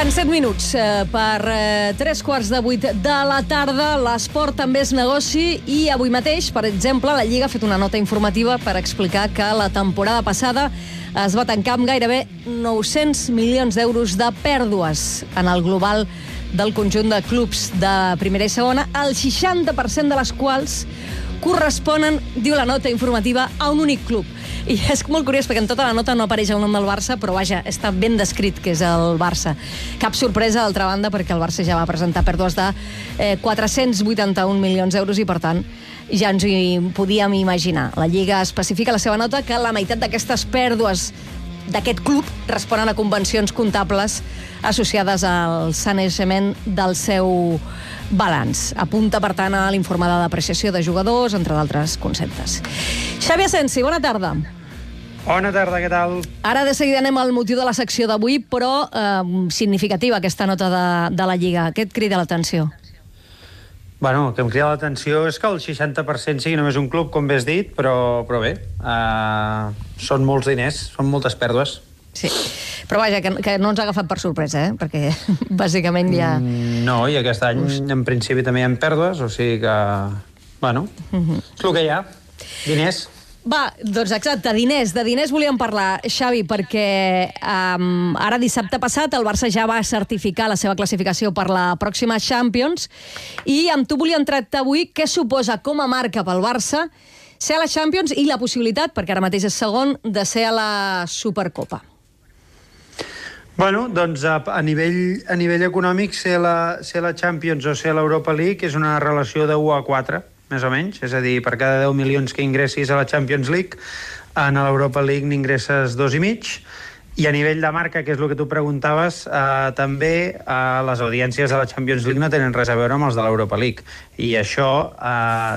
Falten 7 minuts per 3:15 de la tarda. L'esport també és negoci i avui mateix, per exemple, la Lliga ha fet una nota informativa per explicar que la temporada passada es va tancar amb gairebé 900 milions d'euros de pèrdues en el global del conjunt de clubs de primera i segona, el 60% de les quals corresponen, diu la nota informativa, a un únic club. I és molt curiós perquè en tota la nota no apareix el nom del Barça, però vaja, està ben descrit que és el Barça. Cap sorpresa, d'altra banda, perquè el Barça ja va presentar pèrdues de 481 milions d'euros i, per tant, ja ens hi podíem imaginar. La Lliga especifica a la seva nota que la meitat d'aquestes pèrdues d'aquest club responen a convencions comptables associades al sanejament del seu balanç. Apunta, per tant, a l'informe de depreciació de jugadors, entre d'altres conceptes. Xavi Asensi, bona tarda. Bona tarda, què tal? Ara de seguida anem al motiu de la secció d'avui, però significativa aquesta nota de la Lliga. Què et crida l'atenció? Bueno, el que em crida l'atenció és que el 60% sigui només un club, com bé has dit, però bé, són molts diners, són moltes pèrdues. Sí, però vaja, que no ens ha agafat per sorpresa, perquè bàsicament ja... No, i aquest any en principi també hi ha pèrdues, o sigui que, bueno, és el que hi ha, diners. Va, doncs exacte, de diners volíem parlar, Xavi, perquè ara dissabte passat el Barça ja va certificar la seva classificació per la pròxima Champions i amb tu volíem tractar avui què suposa com a marca pel Barça ser a la Champions i la possibilitat, perquè ara mateix és segon, de ser a la Supercopa. Bueno, doncs a nivell econòmic ser la Champions o ser a l'Europa League és una relació de 1 a 4, més o menys, és a dir, per cada 10 milions que ingressis a la Champions League, en l'Europa League n'ingresses 2,5, i a nivell de marca, que és el que tu preguntaves, també les audiències de la Champions League no tenen res a veure amb els de l'Europa League, i això,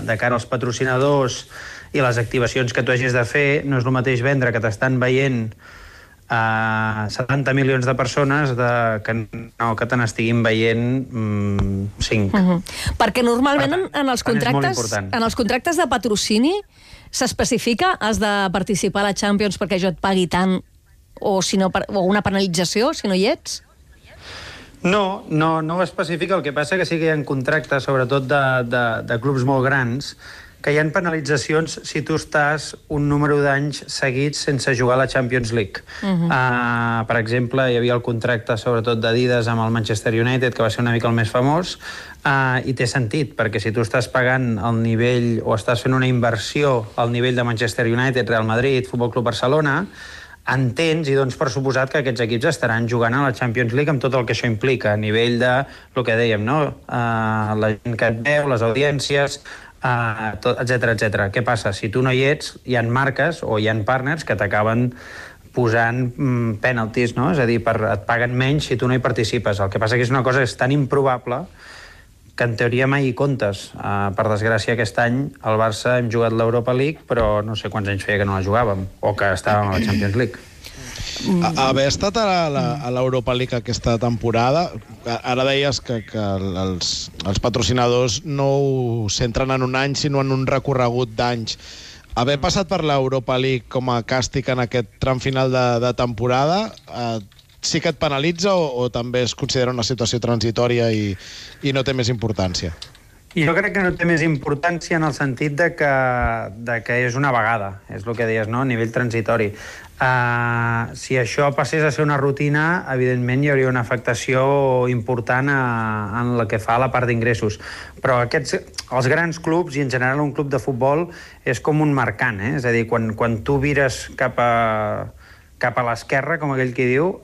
de cara als patrocinadors i les activacions que tu hagis de fer, no és el mateix vendre que t'estan veient 70 milions de persones que te n'estiguin veient 5. Perquè normalment en els contractes de patrocini s'especifica has de participar a la Champions perquè jo et pagui tant o una penalització si no hi ets? No ho especifica, el que passa que sí que hi ha contractes, sobretot de clubs molt grans, que hi ha penalitzacions si tu estàs un número d'anys seguits sense jugar a la Champions League. Per exemple, hi havia el contracte sobretot d'Adidas amb el Manchester United, que va ser una mica el més famós, i té sentit, perquè si tu estàs pagant el nivell o estàs fent una inversió al nivell de Manchester United, Real Madrid, Futbol Club Barcelona, entens i dones per suposat que aquests equips estaran jugant a la Champions League amb tot el que això implica, a nivell de el que dèiem, no? La gent que et veu, les audiències, etcètera. Què passa? Si tu no hi ets, hi ha marques o hi ha partners que t'acaben posant penalties, no? És a dir, et paguen menys si tu no hi participes. El que passa que és una cosa que és tan improbable que en teoria mai hi comptes. Per desgràcia, aquest any al Barça hem jugat l'Europa League, però no sé quants anys feia que no la jugàvem, o que estàvem a la Champions League. Haver estat a l'Europa League aquesta temporada, ara deies que els patrocinadors no ho centren en un any, sinó en un recorregut d'anys. Haver passat per l'Europa League com a càstig en aquest tram final de temporada, sí que et penalitza o també es considera una situació transitòria i no té més importància? Jo crec que no té més importància en el sentit de que és una vegada, és el que deies, no? A nivell transitori. Si això passés a ser una rutina, evidentment hi hauria una afectació important en la que fa a la part d'ingressos. Però els grans clubs, i en general un club de futbol, és com un mercant, és a dir, quan tu vires cap a l'esquerra, com aquell qui diu,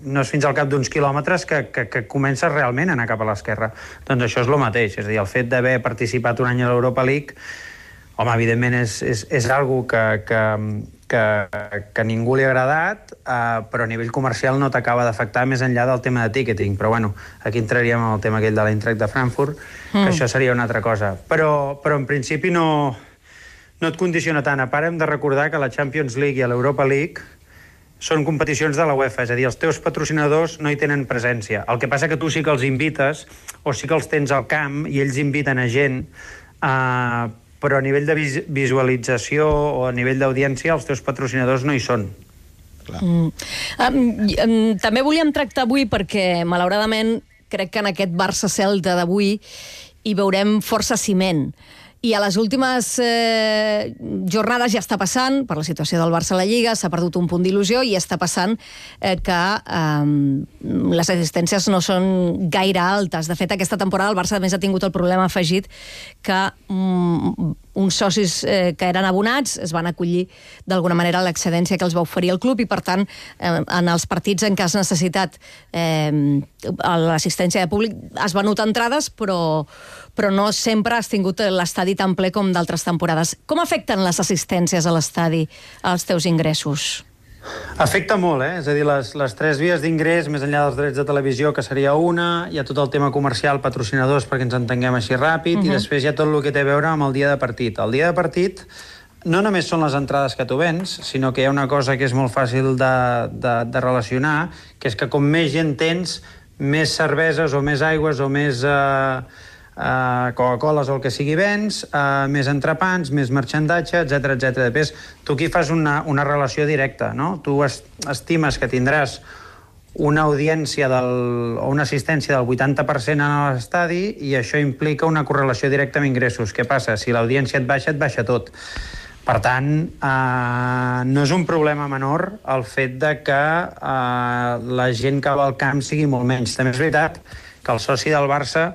no és fins al cap d'uns quilòmetres que comences realment a anar cap a l'esquerra. Doncs això és el mateix, és a dir, el fet d'haver participat un any a l'Europa League, home, evidentment és algo que a ningú li ha agradat, però a nivell comercial no t'acaba d'afectar més enllà del tema de ticketing. Però bueno, aquí entraríem en el tema aquell de l'Eintracht de Frankfurt, que això seria una altra cosa. Però en principi no et condiciona tant. A part, hem de recordar que la Champions League i l'Europa League són competicions de la UEFA, és a dir, els teus patrocinadors no hi tenen presència. El que passa que tu sí que els invites, o sí que els tens al camp, i ells inviten a gent, però a nivell de visualització o a nivell d'audiència els teus patrocinadors no hi són. També volíem tractar avui perquè, malauradament, crec que en aquest Barça-Celta d'avui hi veurem força ciment. I a les últimes jornades ja està passant, per la situació del Barça a la Lliga, s'ha perdut un punt d'il·lusió i està passant que les assistències no són gaire altes. De fet, aquesta temporada el Barça a més ha tingut el problema afegit que uns socis que eren abonats es van acollir d'alguna manera a l'excedència que els va oferir el club i, per tant, en els partits en què has necessitat l'assistència de públic has venut entrades, però no sempre has tingut l'estadi tan ple com d'altres temporades. Com afecten les assistències a l'estadi als teus ingressos? Afecta molt, És a dir, les tres vies d'ingrés, més enllà dels drets de televisió, que seria una, hi ha tot el tema comercial, patrocinadors, perquè ens entenguem així ràpid, i després hi ha tot el que té a veure amb el dia de partit. El dia de partit no només són les entrades que tu vens, sinó que hi ha una cosa que és molt fàcil de relacionar, que és que com més gent tens, més cerveses o més aigües o més Coca-Coles o el que sigui vens, més entrepans, més marxandatge, etc etc. Després, tu aquí fas una relació directa, no? Tu estimes que tindràs una audiència o una assistència del 80% a l'estadi i això implica una correlació directa amb ingressos. Què passa? Si l'audiència et baixa tot. Per tant, no és un problema menor el fet de que la gent que va al camp sigui molt menys. També és veritat que el soci del Barça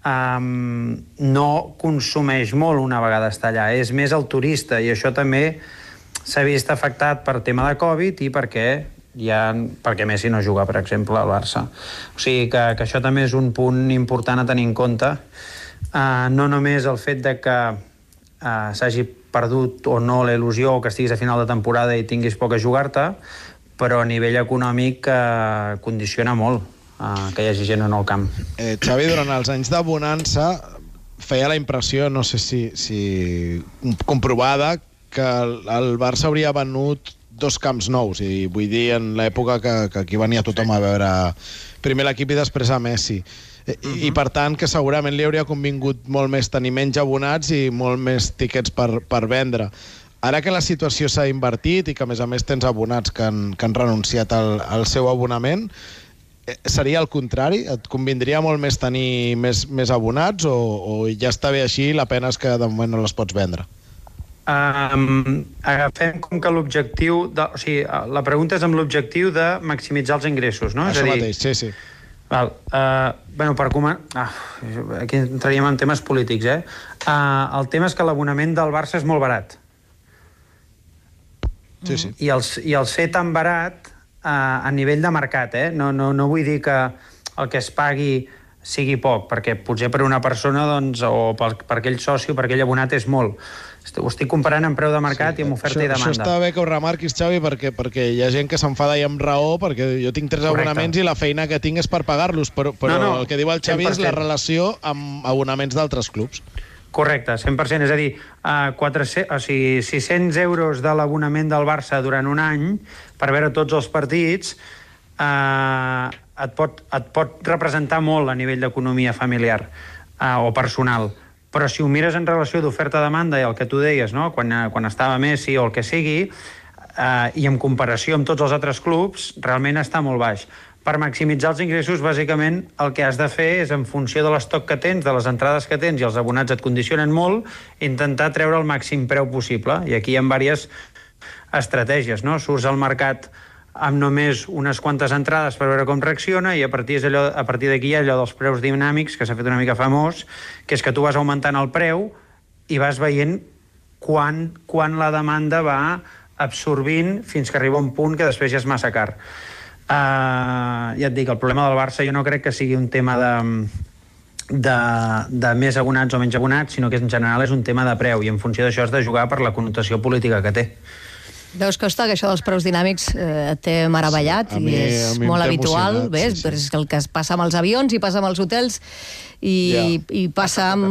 no consumeix molt una vegada està allà, és més el turista, i això també s'ha vist afectat per tema de Covid i perquè Messi no juga, per exemple, al Barça. O sigui que això també és un punt important a tenir en compte, no només el fet de que s'hagi perdut o no la il·lusió o que estiguis a final de temporada i tinguis poc a jugar-te, però a nivell econòmic condiciona molt que hi hagi gent o no al camp. Xavi, durant els anys de bonança feia la impressió, no sé si comprovada, que el Barça hauria venut 2 camps nous, i vull dir en l'època que aquí venia tothom a veure primer l'equip i després a Messi. I per tant que segurament li hauria convingut molt més tenir menys abonats i molt més tiquets per vendre. Ara que la situació s'ha invertit i que a més tens abonats que han renunciat al seu abonament, seria el contrari? Et convindria molt més tenir més abonats o ja està bé així i la pena és que de moment no les pots vendre? Agafem com que l'objectiu... O sigui, la pregunta és amb l'objectiu de maximitzar els ingressos, no? Això mateix, sí. Bueno, per començar... Aquí entraríem en temes polítics, el tema és que l'abonament del Barça és molt barat. Sí. I el ser tan barat a nivell de mercat, no vull dir que el que es pagui sigui poc, perquè potser per una persona o per aquell soci o per aquell abonat és molt. Ho estic comparant amb preu de mercat i amb oferta i demanda. Això està bé que ho remarquis, Xavi, perquè hi ha gent que s'enfada i amb raó, perquè jo tinc 3 abonaments i la feina que tinc és per pagar-los, però el que diu el Xavi és la relació amb abonaments d'altres clubs. Correcte, 100%. És a dir, 600 euros de l'abonament del Barça durant un any per veure tots els partits et pot representar molt a nivell d'economia familiar o personal. Però si ho mires en relació d'oferta-demanda i el que tu deies, no? Quan estava Messi o el que sigui, i en comparació amb tots els altres clubs, realment està molt baix. Per maximitzar els ingressos, bàsicament, el que has de fer és, en funció de l'estoc que tens, de les entrades que tens, i els abonats et condicionen molt, intentar treure el màxim preu possible. I aquí hi ha diverses estratègies, no? Surts al mercat amb només unes quantes entrades per veure com reacciona, i a partir d'aquí hi ha allò dels preus dinàmics, que s'ha fet una mica famós, que és que tu vas augmentant el preu i vas veient quan la demanda va absorbint fins que arriba un punt que després ja és massa car. Ja et dic, el problema del Barça jo no crec que sigui un tema de més abonats o menys abonats, sinó que en general és un tema de preu, i en funció d'això has de jugar per la connotació política que té. Veus, Costa, que això dels preus dinàmics té meravellat i és molt habitual. És el que passa amb els avions i passa amb els hotels i passa amb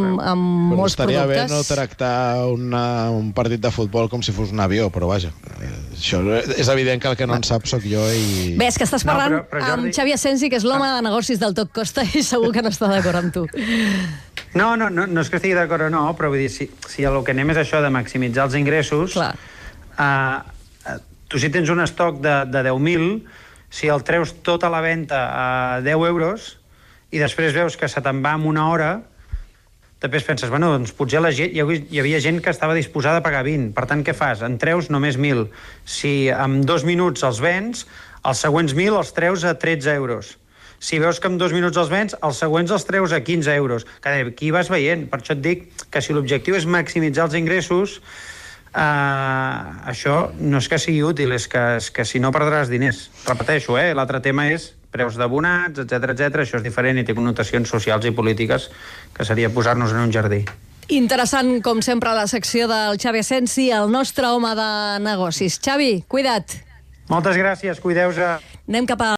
molts productes. Estaria bé no tractar un partit de futbol com si fos un avió, però vaja, això és evident que el que no en sap sóc jo. Bé, és que estàs parlant amb Xavi Asensi, que és l'home de negocis del tot Costa, i segur que no està d'acord amb tu. No és que estigui d'acord o no, però vull dir, si el que anem és això de maximitzar els ingressos, tu Tu si tens un estoc de 10.000, si el treus tot a la venda a 10 euros i després veus que se te'n va en una hora, després penses, bueno, doncs potser hi havia gent que estava disposada a pagar 20. Per tant, què fas? En treus només 1.000. Si en 2 minuts els vens, els següents 1.000 els treus a 13 euros. Si veus que en 2 minuts els vens, els següents els treus a 15 euros. Aquí vas veient. Per això et dic que si l'objectiu és maximitzar els ingressos, això no és que sigui útil, és que si no perdràs diners. Repeteixo, l'altre tema és preus d'abonats, etc. Això és diferent i té connotacions socials i polítiques que seria posar-nos en un jardí. Interessant, com sempre, la secció del Xavi Asensi, el nostre home de negocis. Xavi, cuida't. Moltes gràcies, cuideu-se. Anem cap a